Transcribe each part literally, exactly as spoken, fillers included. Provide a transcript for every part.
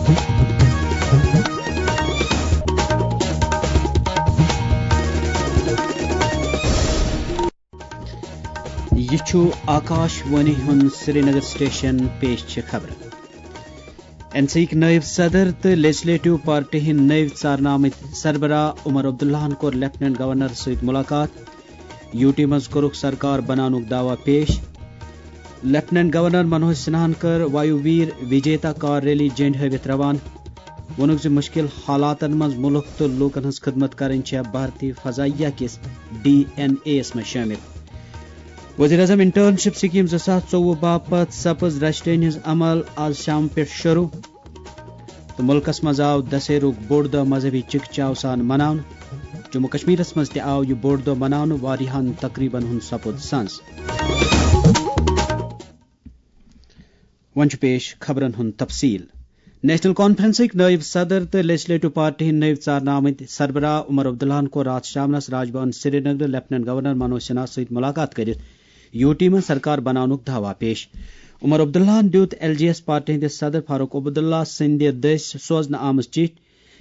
یہِ چھُ آکاش وانی ہُنٛد سرینگر سٹیشن۔ پیش چھِ خبرٕ۔ این سی یِکۍ نٲیِب صدر تہٕ لیجسلیٹو پارٹی ہٕنٛدۍ نٔوۍ ژارنہٕ آمٕتۍ سربراہ عمر عبداللہَن کوٚر لیفٹیننٹ گورنر سۭتۍ مُلاقات۔ یوٗ ٹی منٛز کوٚرُکھ سرکار بناونُک دعویٰ پیش۔ لیفٹیننٹ گورنر منوج سنہاہَن کٔر وایو ویر وجیتا کار ریلی جنڈٕ ہٲوِتھ روانہٕ۔ ووٚنُکھ زِ مُشکِل حالاتن منٛز مُلک تہٕ لوٗکن ہٕنٛز خدمت کرٕنۍ چھےٚ بھارتی فضائیہ کِس ڈی این اے یَس منٛز شٲمِل۔ وزیر اعظم انٹرنشپ سکیم زٕ ساس ژوٚوُہ باپتھ سپٕز رجسٹرین ہٕنٛز عمل آز شام پٮ۪ٹھ شروع۔ تہٕ مُلکَس منٛز آو دسہرُک بوٚڑ دۄہ مذہبی چِکہ چاو سان مناونہٕ۔ جموں کشمیرَس منٛز تہِ آو یہِ بوٚڑ دۄہ مناونہٕ، واریاہَن تقریٖبَن ہُنٛد سپُد سنٛز۔ وۄنۍ چھُ پیش خبرَن ہُنٛد تفصیٖل۔ نیشنل کانفرنسٕکۍ نٲیِب صدر تہٕ لیجسلیٹو پارٹی ہٕنٛدۍ نٔوۍ ژارنہٕ آمٕتۍ سربراہ عمر عبداللہَن کوٚر راتھ شامنَس راج بھون سرینگرٕ لیفٹیننٹ گورنر منوج سنہاہَس سۭتۍ مُلاقات کٔرِتھ یوٗ ٹی منٛز سرکار بناونُک دعویٰ پیش۔ عمر عبداللہَن دیُت ایل جے ایس پارٹی ہٕنٛدِس صدر فاروق عبداللہ سٕنٛدِ دٔسۍ سوزنہٕ آمٕژ چِٹھۍ،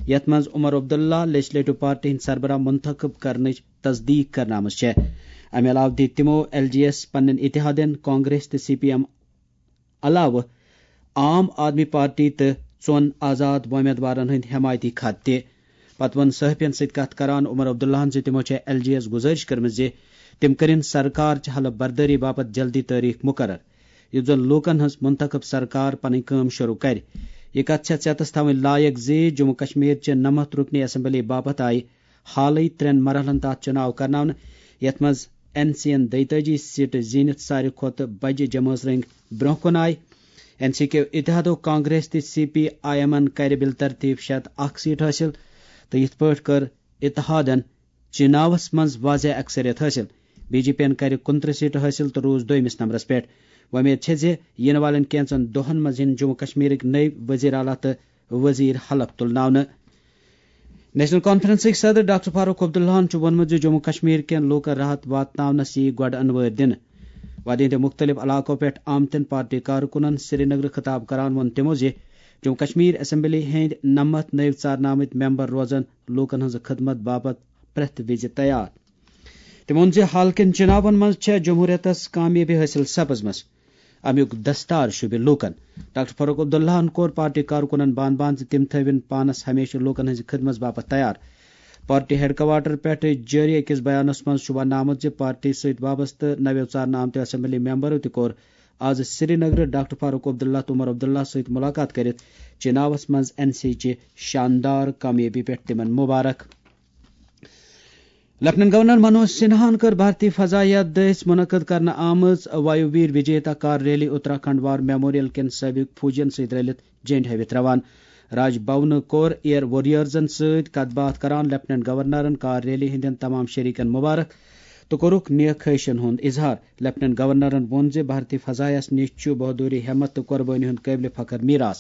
یَتھ منٛز عمر عبداللہ لیجسلیٹو پارٹی ہٕنٛدۍ سربراہ منتخب کرنٕچ تصدیق کرنہٕ آمٕژ چھےٚ۔ اَمہِ علاوٕ دِتۍ تِمو ایل جے ایس پننٮ۪ن اتحادن کانگریس تہٕ سی پی ایم علاوٕ عام آدمی پارٹی تہٕ ژۄن آزاد وۄمیدوارن ہٕنٛدۍ حمایتی خط تہِ۔ پتہٕ ووٚن صحافین سۭتۍ کتھ کران عمر عبداللہَن زِ تِمو چھےٚ ایل جے یَس گُزٲرِش کٔرمٕژ زِ تِم کٔرِن سرکار چہِ حلف بردٲری باپتھ جلدی تٲریخ مقرر، یُتھ زن لوٗکن ہٕنٛز منتخب سرکار پنٕنۍ کٲم شروع کرِ۔ یہِ کتھ چھےٚ ژٮ۪تس تھاوٕنۍ لایق زِ جموں کشمیر چہِ نَمَتھ رُکنی اسمبلی باپتھ آیہِ حالٕے ترٛٮ۪ن مرحلن تحت چُناو کرناونہٕ، یتھ منٛز این سی ین دۄیتٲجی سیٹہٕ زیٖنِتھ ساروی کھۄتہٕ بجہِ جمٲژ رٔنٛگۍ برٛونٛہہ کُن آیہِ۔ این سی کیو اتحادو کانگریس تہٕ سی پی آی ایمن کرِ بالترتیب شیٚے ہتھ اکھ سیٹ حٲصِل تہٕ یِتھ پٲٹھۍ کٔر اتحادن چناوس منٛز واضح اکثریت حٲصِل۔ بی جے پی ین کرِ کُنترٕہ سیٹہٕ حٲصِل تہٕ روٗز دوٚیمِس نمبرس پٮ۪ٹھ۔ وۄمید چھےٚ زِ یِنہٕ والٮ۪ن کینٛژن دۄہن منٛز یِن جموں کشمیرٕکۍ نٔوۍ وزیر اعلیٰ تہٕ وزیر حلف تُلناونہٕ۔ نیشنل کانفرنسٕکۍ صدر ڈاکٹر فاروق عبداللہَن چھُ ووٚنمُت زِ جموں کشمیر کٮ۪ن لوٗکَن راحت واتناونَس یِیہِ گۄڈٕ انوٲرۍ دِنہٕ۔ وادی ہٕنٛدِ مُختٔلِف علاقو پٮ۪ٹھ آمتٮ۪ن پارٹی کارکُنَن سرینگرٕ خطاب کران ووٚن تِمو زِ جموں کشمیر اسمبلی ہٕنٛدۍ نَمَتھ نٔوۍ ژارنہٕ آمٕتۍ ممبر روزن لوٗکَن ہٕنٛز خدمت باپتھ پرٛٮ۪تھ وِزِ تیار۔ تٔمۍ ووٚن زِ حال کٮ۪ن چُناون منٛز چھےٚ جمہوٗرِیتَس کامیٲبی حٲصِل سپٕزمٕژ۔ اَمیُک دستار شوٗبہِ لوٗکَن۔ ڈاکٹر فاروق عبداللہَن کوٚر پارٹی کارکُنَن بان بان زِ تِم تھٲوِن پانَس ہمیشہِ لوٗکَن ہٕنٛزِ خدمت باپتھ تیار۔ پارٹی ہیڈ کوارٹر پٮ۪ٹھ جٲری أکِس بیانَس منٛز چھُ وننہٕ آمُت زِ پارٹی سۭتۍ وابستہٕ نَویو ژارنہٕ آمتیو اسمبلی ممبرو تہِ کوٚر آز سرینگرٕ ڈاکٹر فاروق عبداللہ تہٕ عمر عبداللہ سۭتۍ مُلاقات کٔرِتھ چناوَس منٛز این سی چہِ شاندار کامیٲبی پٮ۪ٹھ تِمَن مُبارک۔ لیفٹیننٹ گورنر منوج سنہاہَن کٔر بھارتی فضائیہ دٔسۍ منعقد کرنہٕ آمٕژ وایو ویر وجیتا کار ریلی اتراکھنڈ وار میموریل کٮ۪ن سٲبق فوجین سۭتۍ رٔلِتھ جنڈ ہٲوِتھ روان۔ راج بھونہٕ کوٚر ایئر وارئیرزن سۭتۍ کتھ باتھ کران لیفٹیننٹ گورنرن کار ریلی ہٕنٛدٮ۪ن تمام شریکن مبارک تہٕ کوٚرُکھ نیک خواہشن ہُنٛد اظہار۔ لیفٹیننٹ گورنرن ووٚن زِ بھارتی فضائیہس نِش چھُ بہادری، ہمت تہٕ قربٲنی ہُنٛد قٲبلِ فخر میراث۔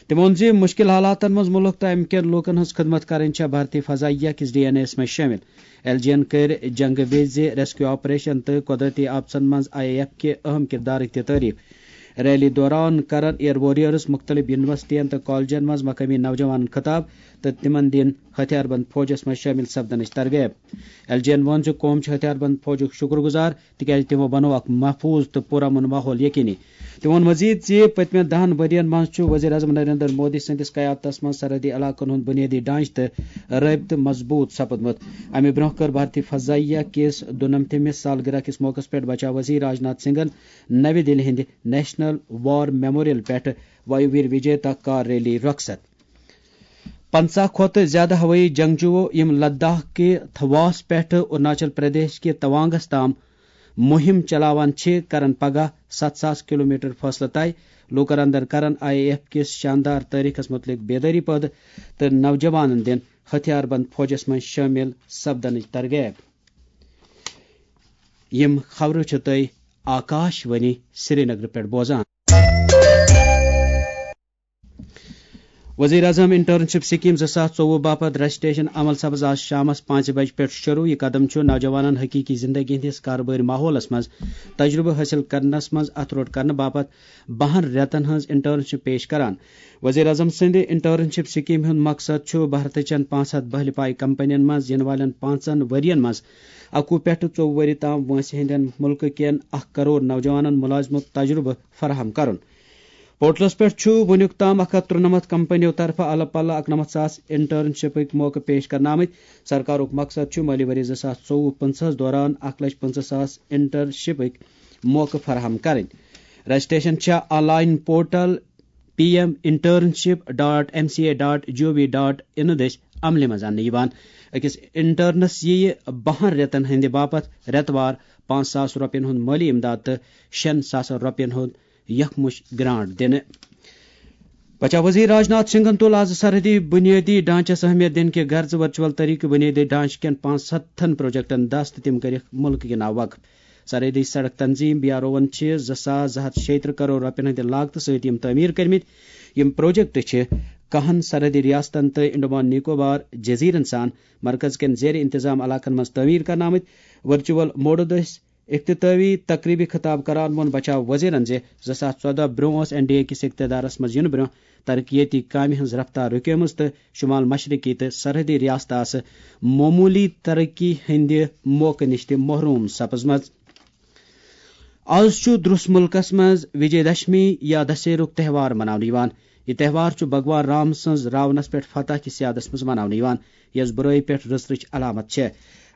تٔمۍ ووٚن زِ مُشکِل حالاتن منٛز مُلک تہٕ اَمہِ کٮ۪ن لوٗکن ہٕنٛز خدمت کرٕنۍ چھےٚ بھارتی فضائیہ کِس ڈی این اے یَس منٛز شٲمِل۔ ایل جی یَن کٔرۍ جنگہٕ وِزِ ریسکیو آپریشن تہٕ قۄدرتی آفژن منٛز آئی اے ایف کہِ اہم کردارٕچ تہِ تعریف۔ ریلی دوران کرن ایئر وارئیرز مُختٔلِف یونیورسٹین تہٕ کالجن منٛز مقٲمی نوجوانن خطاب تہٕ تِمن دِن ہتھیار بند فوجس منٛز شٲمِل سپدنٕچ ترغیب۔ ایل جی یَن ووٚن زِ قوم چھُ ہتھیار بند فوجُک شُکر گُزار، تِکیازِ تِمو بنوو اکھ محفوظ تہٕ پُرامن ماحول یقینی۔ تٔمۍ ووٚن مزید زِ پٔتمٮ۪ن دَہَن ؤرۍ یَن منٛز چھُ وزیر اعظم نریندر مودی سٕنٛدِس قیادتس منٛز سرحدی علاقن ہُنٛد بُنیٲدی ڈھانچہٕ تہٕ رٲبطہٕ مضبوٗط سپُدمُت۔ اَمہِ برٛونٛہہ کٔر بھارتی فضائیہ کِس دُنَمتھمِس سالگرہ کِس موقعس پٮ۪ٹھ بچاو وزیر راجناتھ سنگھن نَوِ دِلہِ ہٕنٛدِ نیشنل وار میموریل پٮ۪ٹھ وایو ویر وجیتا کار ریلی رۄخصت۔ پنٛژاہ کھۄتہٕ زیادٕ ہوٲیی جنگجوٗ، یِم لداخ کہِ تھواس پٮ۪ٹھٕ اروناچل پردیش کہِ توانگس تام مُہِم چلاوان چھِ، کرن پگاہ ستھ ساس کلومیٹر فٲصلہٕ طے۔ لوٗکن اندر کرن آئی اے ایف کِس شاندار تٲریخس مُتعلق بیدٲری پٲدٕ تہٕ نوجوانن دِن ہتھیار بند فوجس منٛز شٲمِل سپدنٕچ ترغیب۔ یِم خبرٕ چھِ تُہۍ آکاش وانی سرینگرٕ پٮ۪ٹھ بوزان۔ وزیر اعظم انٹرنشپ سکیم زٕ ساس ژوٚوُہ باپتھ رجسٹریشن عمل سپز آز شامس پانٛژِ بجہِ پٮ۪ٹھ شروع۔ یہِ قدم چھُ نوجوانن حقیقی زندگی ہٕنٛدِس کاربٲرۍ ماحولس منٛز تجربہٕ حٲصِل کرنس منٛز اتھٕ روٚٹ کرنہٕ باپتھ بَہَن رٮ۪تن ہٕنٛز انٹرنشپ پیش کران۔ وزیر اعظم سٕنٛدِ انٹرنشپ سکیمہِ ہُنٛد مقصد چھُ بھارتٕچن پانٛژھ ہتھ بٔہلہِ پایہِ کمپنین منٛز یِنہٕ والٮ۪ن پانٛژن ؤرین منٛز اَکوُہ پٮ۪ٹھٕ ژوٚوُہ ؤری تام وٲنٛسہِ ہٕنٛدٮ۪ن مُلکہٕ کٮ۪ن اکھ کرور نوجوانن مُلٲزمُک تجربہٕ فراہم کرُن۔ پورٹلس پٮ۪ٹھ چھُ وُنیُک تام اکھ ہتھ ترُنمتھ کمپنیو طرفہٕ الہٕ پلہٕ اکنمتھ ساس انٹرنشپٕکۍ موقعہٕ پیش کرنہٕ آمٕتۍ۔ سرکارُک مقصد چھُ مٲلی ؤری زٕ ساس ژوٚوُہ پٕنٛژٕہس دوران اکھ لچھ پٕنٛژٕہ ساس انٹرنشپٕکۍ موقعہٕ فراہم کرٕنۍ۔ رجسٹریشن چھےٚ online portal P M internship dot M C A dot G O V dot I دٔسۍ عملہِ منٛز اننہٕ یِوان۔ أکِس انٹرنس یِیہِ بَہَن رٮ۪تن ہٕنٛدِ باپتھ رٮ۪تہٕ وار پانٛژھ ساس رۄپین ہُنٛد مٲلی امداد تہٕ شیٚن ساسن رۄپین ہُنٛد یکمُش گرانٹ دِنہٕ۔ بچاو وزیر راج ناتھ سنگھن تُل آز سرحدی بنیٲدی ڈھانچس اہمیت دِنہٕ کہِ غرضہٕ ورچوئل طریقہٕ بنیٲدی ڈھانچہٕ کٮ۪ن پانٛژھ ہتن پروجیکٹن دست تہٕ تِم کٔرِکھ مُلکہٕ کہِ ناوٕ وقف۔ سرحدی سڑک تنظیم بی آر اوون چھِ زٕ ساس زٕ ہتھ شیٚیہِ ترٕٛہ کرور رۄپین ہٕنٛدِ لاگتہٕ سۭتۍ یِم تعمیٖر کٔرمٕتۍ۔ یِم پروجیکٹ چھِ کہن سرحدی ریاستن تہٕ انڈمان نکوبار جزیرن سان مرکز کٮ۪ن زیر انتظام علاقن منٛز تعمیٖر کرنہٕ آمٕتۍ۔ ورچوئل موڈٕ دٔسۍ افتتاحی تقریبہِ خطاب کران ووٚن بچاو وزیرن زِ زٕ ساس ژۄدہ برونٛہہ ٲس این ڈی اے کِس اقتدارس منٛز یِنہٕ برونٛہہ ترقیتی کامہِ ہٕنٛز رفتار رُکیمٕژ تہٕ شمال مشرقی تہٕ سرحدی ریاستہٕ آسہٕ معموٗلی ترقی ہٕنٛدِ موقعہٕ نِش تہِ محروم سپٕزمٕژ۔ آز چھُ درس مُلکس منٛز وجے دشمی یا دسہرُک تہوار مناونہٕ یِوان۔ یہِ تہوار چھُ بھگوان رام سٕنٛز راونس پٮ۪ٹھ فتح کِس یادس منٛز مناونہٕ یِوان، یۄس بُرٲیی پٮ۪ٹھ رٕژرٕچ علامت چھےٚ۔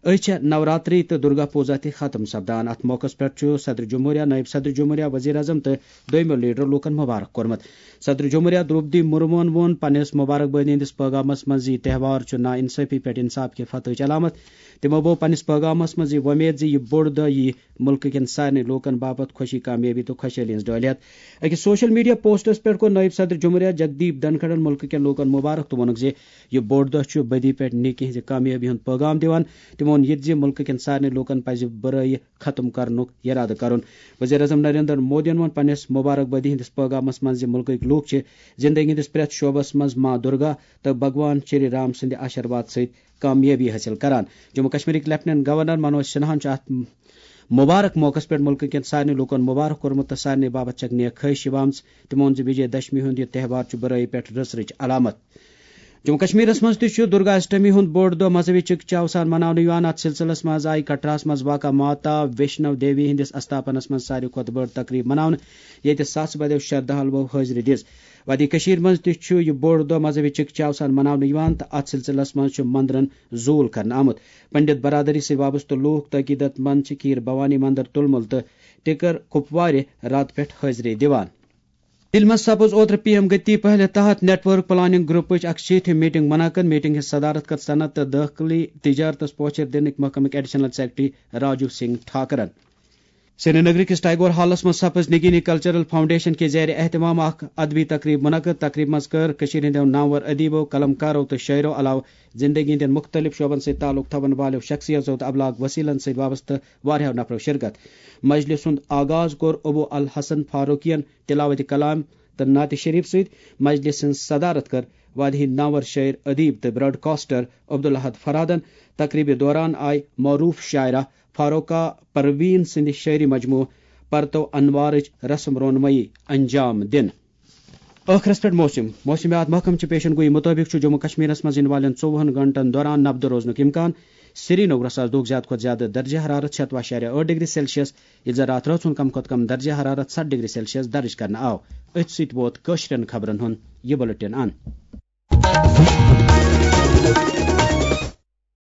أزۍ چھےٚ نوراتری تہٕ درگا پوجا تہِ ختم سپدان۔ اتھ موقعس پٮ۪ٹھ چھُ صدر جمہوریہ، نٲیِب صدر جمہوریہ، وزیر اعظم تہٕ دویمو لیڈرو لوٗکن مبارک کوٚرمُت۔ صدر جمہوریہ درٛوپدی مرموہن ووٚن پننِس مبارک بٲدی ہٕنٛدِس پیغامس منٛز زِ یہِ تہوار چھُ نا انصٲفی پٮ۪ٹھ انصاف کہِ فتحٕچ علامت۔ تِمو بوٚو پننِس پیغامس منٛز یہِ وۄمید زِ یہِ بوٚڑ دۄہ یِیہِ مُلکہٕ کٮ۪ن سارنٕے لوٗکن باپتھ خوشی، کامیٲبی تہٕ خۄشحٲلی ہٕنٛز ڈٲلۍ ہٮ۪تھ۔ أکِس سوشل میڈیا پوسٹس پٮ۪ٹھ کوٚر نٲیِب صدر جمہوریہ جگدیپ دھنکھڑن مُلکہٕ کٮ۪ن لوٗکن مبارک تہٕ ووٚنُکھ زِ یہِ بوٚڑ دۄہ چھُ بدی پٮ۪ٹھ نیکی ہٕنٛزِ کامیٲبی ہُنٛد پیغام دِوان۔ تِمو ووٚن یہِ تہِ زِ مُلکہٕ کٮ۪ن سارنٕے لوٗکن پزِ بُرٲیی ختم کرنُک یرادٕ کرُن۔ وزیر اعظم نریندر مودیَن ووٚن پننِس مبارک بٲدی ہٕنٛدِس پیغامس منٛز زِ مُلکٕکۍ لوٗکھ چھِ زندگی ہٕنٛدِس پرٛٮ۪تھ شعبس منٛز ماں درگا تہٕ بھگوان شری رام سٕنٛدِ آشیرواد سۭتۍ کامیٲبی حٲصِل کران۔ جموں کشمیرٕکۍ لیفٹیننٹ گورنر منوج سنہاہن چھُ اتھ مبارک موقعس پٮ۪ٹھ مُلکہٕ کٮ۪ن سارنٕے لوٗکن مبارک کوٚرمُت تہٕ سارنٕے باپتھ چھکھ نیک خواہش یِوان۔ تِمو ووٚن زِ وجے دشمی ہُنٛد یہِ تہوار چھُ بُرٲیی پٮ۪ٹھ رٕژرٕچ علامت۔ جموں کشمیرس منٛز تہِ چھُ درگا اشٹمی ہُنٛد بوٚڑ دۄہ مذہبی چکہ چاو سان مناونہٕ یِوان۔ اتھ سلسلس منٛز آیہِ کٹراہس منٛز واقع ماتا ویشنو دیوی ہٕنٛدِس استاپنس منٛز ساروی کھۄتہٕ بٔڑ تقریب مناونہٕ، ییٚتہِ ساسہٕ بٔدیو شردھالوو حٲضری دِژ۔ وادی کشیر منٛز تہِ چھُ یہِ بوٚڑ دۄہ مذہبی چکہ چاو سان مناونہٕ یِوان تہٕ اتھ سلسلس منٛز چھُ مندرن زوٗل کرنہٕ آمُت۔ پنڈت برادری سۭتۍ وابستہٕ لوٗکھ تہٕ عقیدت مند چھِ کھیٖر بھوانی مندر تُلمُل تہٕ ٹکر کپوارِ راتہٕ پٮ۪ٹھ حٲضری دِوان۔ دِلہِ منٛز سپٕز اوترٕ پی ایم گتی پہلہِ تحت نیٹ ورک پلاننگ گروپٕچ اکھ شیٖتھ میٖٹنگ منعقد۔ میٖٹنگ ہٕنٛز صدارت کٔر صنعت تہٕ دٲخلی تجارتس پوچھر دِنٕکۍ محکمٕکۍ ایڈیشنل سیکرٹری راجو سنگھ ٹھاکرن۔ سری نگر کِس ٹیگور ہالس منٛز سپٕز نگینی کلچرل فاؤنڈیشن کہِ زیر اہتمام اکھ ادبی تقریب منعقد۔ تقریب منٛز کٔر کٔشیٖرِ ہٕنٛدیو نامور ادیبو، قلم کارو تہٕ شٲعرو علاوٕ زندگی ہٕنٛدٮ۪ن مُختٔلِف شعبن سۭتۍ تعلق تھاوَن والٮ۪و شخصیژو تہٕ ابلاغ وسیلن سۭتۍ وابستہٕ واریاہو نفرو شرکت۔ مجلس ہُنٛد آغاز کوٚر ابو الحسن فاروقین تلاوت کلام تہٕ نعت شریف سۭتۍ۔ مجلس ہٕنٛز صدارت کٔر وادی نامور شٲعر، ادیب تہٕ براڈکاسٹر عبدالاحد فرہادن۔ تقریبہِ دوران آیہِ معروف شاعرہ فاروقہ پروین سٕنٛدِ شٲعری مجموعہٕ پرتو انوارٕچ رسم رونمٲیی انجام دِنہٕ۔ ٲخرس پٮ۪ٹھ موسم۔ موسمیات محکمہٕ چہِ پیشن گویی مُطٲبِق چھُ جموں کشمیرس منٛز یِنہٕ والٮ۪ن ژوٚوُہن گھنٹن دوران نبدٕ روزنُک امکان۔ سری نگرس آز دۄہُک زیادٕ کھۄتہٕ زیادٕ درجہ حرارت شیٚتوُہ اعشاریہ ٲٹھ ڈگری سیلسیس، ییٚلہِ زن راتھ رٲژ ہُنٛد کم کھۄتہٕ کم درجہ حرارت ستھ ڈگری سیلسیس درج کرنہٕ آو۔ أتھۍ سۭتۍ ووت کٲشرٮ۪ن خبرن ہُنٛد یہِ بُلٹن اند۔